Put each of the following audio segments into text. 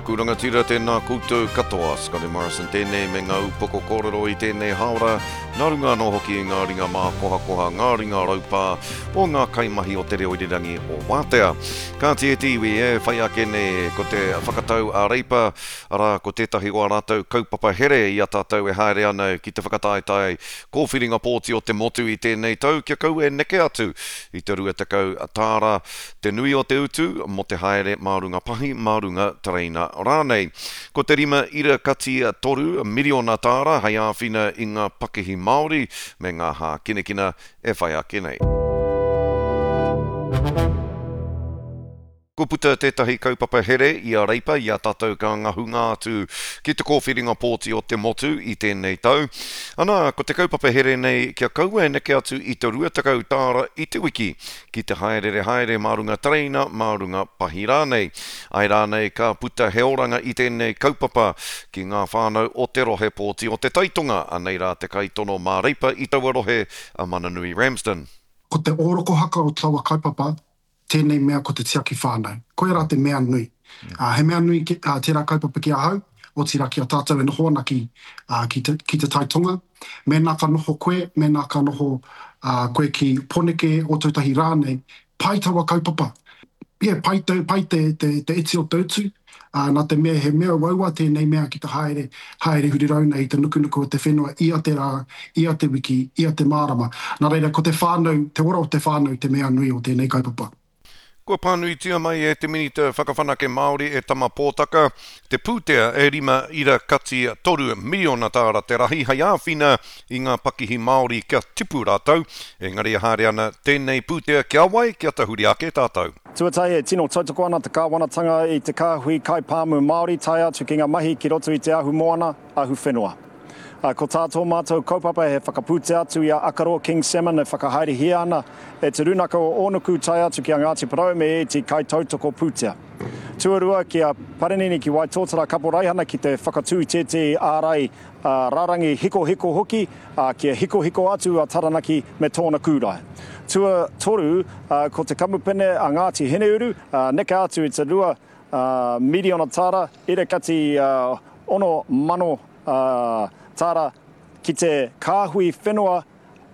ōku rangatira, tēnā koutou katoa. Scotty Morrison tēnei me ngā upoko kōrero i tēnei hāora, nā runga anō hoki i ngā ringa mākohakoha, ngā ringa raupā o ngā kaimahi o Te Reo Irirangi o Wātea. Kāti e te iwi, e whai ake nei ko te whakatau a Reipa, arā, ko tētahi o ā rātou kaupapa here i a tātou e haere ana ki te whakataetae kōwhiringa pōti o te motu i tēnei tau kia kaua e neke atu i te 20 tāra Te nui o te utu mō te haere mā runga pahi, mā runga tereina rānei. Ko te rima ira kati toru miriona tāra hei āwhina i ngā pakihi Māori me ngā hākinakina e whai ake nei. Kua puta tētahi kaupapa here i a Reipa i a tātou ka ngahunga atu ki te kōwhiringa pōti o te motu i tēnei tau. Anā, ko te kaupapa here nei kia kaua e neke atu i te 20 tāra i te wiki ki te hāereere haere mā runga tereina, mā runga pahi rānei. Āe rānei ka puta he oranga i tēnei kaupapa ki ngā whānau o te rohe pōti o Te Taitonga, anei rā te kaitono mā Reipa i taua rohe, a Mananui Ramsden. Ko te ōrokohaka o taua kaupapa tēnei mea ko te tiaki whānau. Koirā te mea nui. He mea nui tērā kaupapa ki ahau, otirā ki a tātou e noho ana ki, ki te, ki Te Tai Tonga. Mēnā ka noho koe, mēnā ka noho koe ki Poneke, Ōtautahi rānei, pai taua kaupapa. Yeah, pai te, pai te, te, te iti o te utu, nā te mea he mea uaua tēnei mea ki te haere, haere huri rauna i te nukunuku o te whenua ia te rā, ia te wiki, ia te marama. Nā reira, ko te whānau, te ora o te whānau te mea nui o tēnei kaupapa. Kua pānuitia mai e te Minita Whakawhanake Māori e Tama Pōtaka te pūtea e rima ira kati toru miriona tāra te rahi hei āwhina i ngā pakihi Māori kia tipu rātou, engari e haere ana tēnei pūtea kia wai, kia tahuri ake tātou. Tuatahi, e tino tautoko ana te Kāwanatanga i te kāhui kaipāmu Māori tae atu ki ngā mahi ki roto i te ahumoana, ahuwhenua. Ko tā tō mātou kaupapa he whakapūtea atu i a Akaroa King Salmon e whakahaerehia ana e Te Rūnaka o Ōnuku tae atu ki a Ngāti Porou me ēti kaitautoko pūtea. Tuarua, ki a Parinini ki Waitōtara Kaporaihana ki te whakatū tētehi ārai rārangi hikohiko hoki, kia hikohiko atu a Taranaki me tōna kūrae. Tuatoru, ko te kamupene a Ngāti Hineuru, neke atu i te 2 miriona tāra, ira kati 6,000 tāra ki te kāhui whenua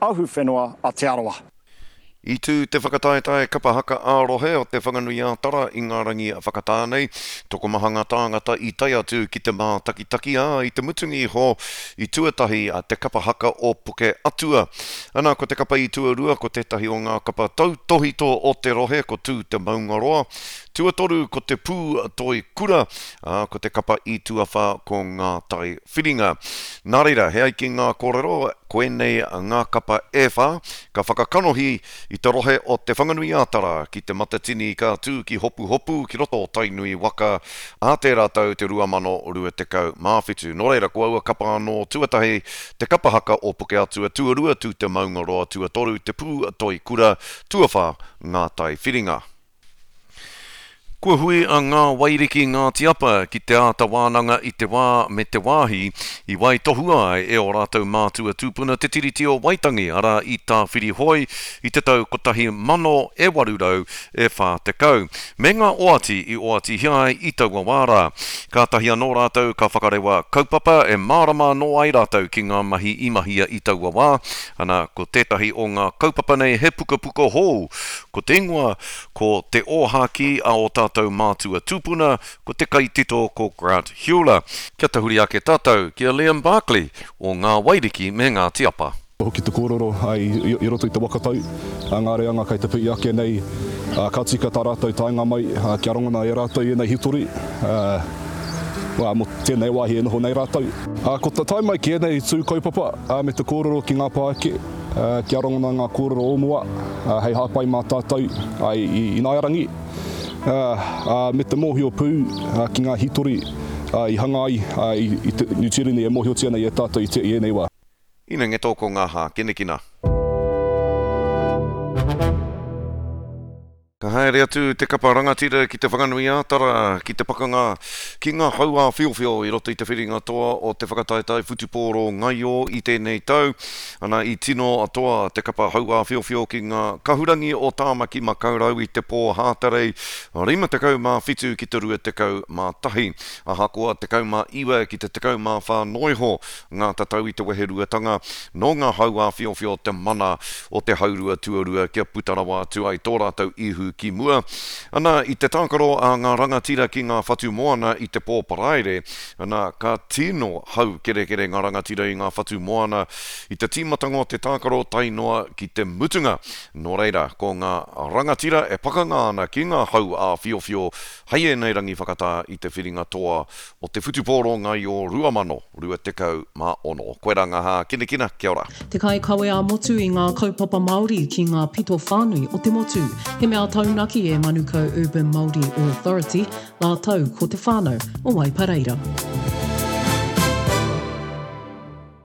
ahuwhenua a Te Arawa. I tū te whakataetae kapa haka ā-rohe o Te Whanganui-ā-Tara i ngā rangi whakatā nei. Tokomaha ngā tāngata i tae atu ki te mātakitaki, ā, i te mutunga iho i tuatahi te kapa haka o Puke Atua. Ana, ko te kapa i tuarua ko tētahi o ngā kapa tautōhito o te rohe ko Tū Te Maungaroa. Tuatoru ko Te Pū Toi Kura, ā, ko te kapa i tuawhā ko Ngā Tai Whiringa. Nā reira, he ai ki ngā kōrero, koinei ngā kapa e whā ka whakakanohi i te rohe o Te Whanganui-ā-Tara ki Te Matatini ka tū ki Hopuhopu ki roto o Tainui waka ā tērā tau te 2027. Nō reira, ko aua kapa anō, tuatahi, te kapa haka o Pukeatua, tuarua, Tū Te Maungaroa, tuatoru, Te Pū Toi Kura, tuawhā, Ngā Tai Whiringa. Kua hui a Ngā Wairiki Ngāti Apa ki te āta wānanga i te wā me te wāhi i waitohua ai e ō rātou mātua tūpuna te Tiriti o Waitangi, arā i Tāwhirihoe i te tau 1840, me ngā oati i oatihia ai i taua wā rā. Kātahi anō rātou ka whakarewa kaupapa e mārama anō ai rātou ki ngā mahi i mahia i taua wā, ana, ko tētahi o ngā kaupapa nei he pukapuka hou, Ko te ingoa, ko Te Ōhākī a ō tātou mātua tūpuna, ko te kaitito ko Grant Heuler. Kia tahuri ake tātou ki a Liam Barclay o Ngā Wairiki me Ngāti Apa. Hoki te kōrero i roto i te waka tau, ngā reanga kei te pi'i ake nei, ka tika tā rātou taenga mai kia rongona e rātou ēnei hitori mō tēnei wāhi e noho nei rātou. Ko te tae mai ki ēnei tū kaupapa me te kōrero ki ngā pāeke, Kia rongona ngā kōrero o mua hei hāpai mā tātou i ināiarangi, me te mōhio pū ki ngā hītori i hanga ai i te Niu Tīreni e mōhiotia nei e tātou i ēnei wā. Ina ngeto ko ngā hākinakina. Ka haere atu te kapa rangatira ki Te Whanganui-ā-Tara ki te pakanga ki ngā hau āwhiowhio i roto i te whiringa toa o te whakataetae whutupōro ngaio i tēnei tau. Ana, i tino toa te kapa hau āwhiowhio ki ngā kahurangi o Tāmaki Makaurau i te pō Hātarei 57 ki te 21. Ahakoa 19 ki te 14 noa iho ngā tatau i te weheruatanga, nō ngā hau āwhiowhio te mana o te haurua tuarua kia puta rawa atu ai tō rātou ihu ki mua. Ana, i te tākaro a ngā rangatira ki ngā whatu moana i te pō Paraire, ana, ka tino haukerekere ngā rangatira i ngā whatu moana i te tīmatanga o te tākaro tae noa ki te mutunga. Nō reira, ko ngā rangatira e pakanga ana ki ngā hau āwhiowhio hei ēnei rangi whakatā i te whiringa toa o te whutupōro ngaio 2026. Koirā ngā hākinakina, kia ora. Te kaikawe ā-motu i ngā kaupapa Māori ki ngā pito whānui o te motu. He mea taunaki e Manukau Urban Māori Authority rātou ko te whānau o Waipareira.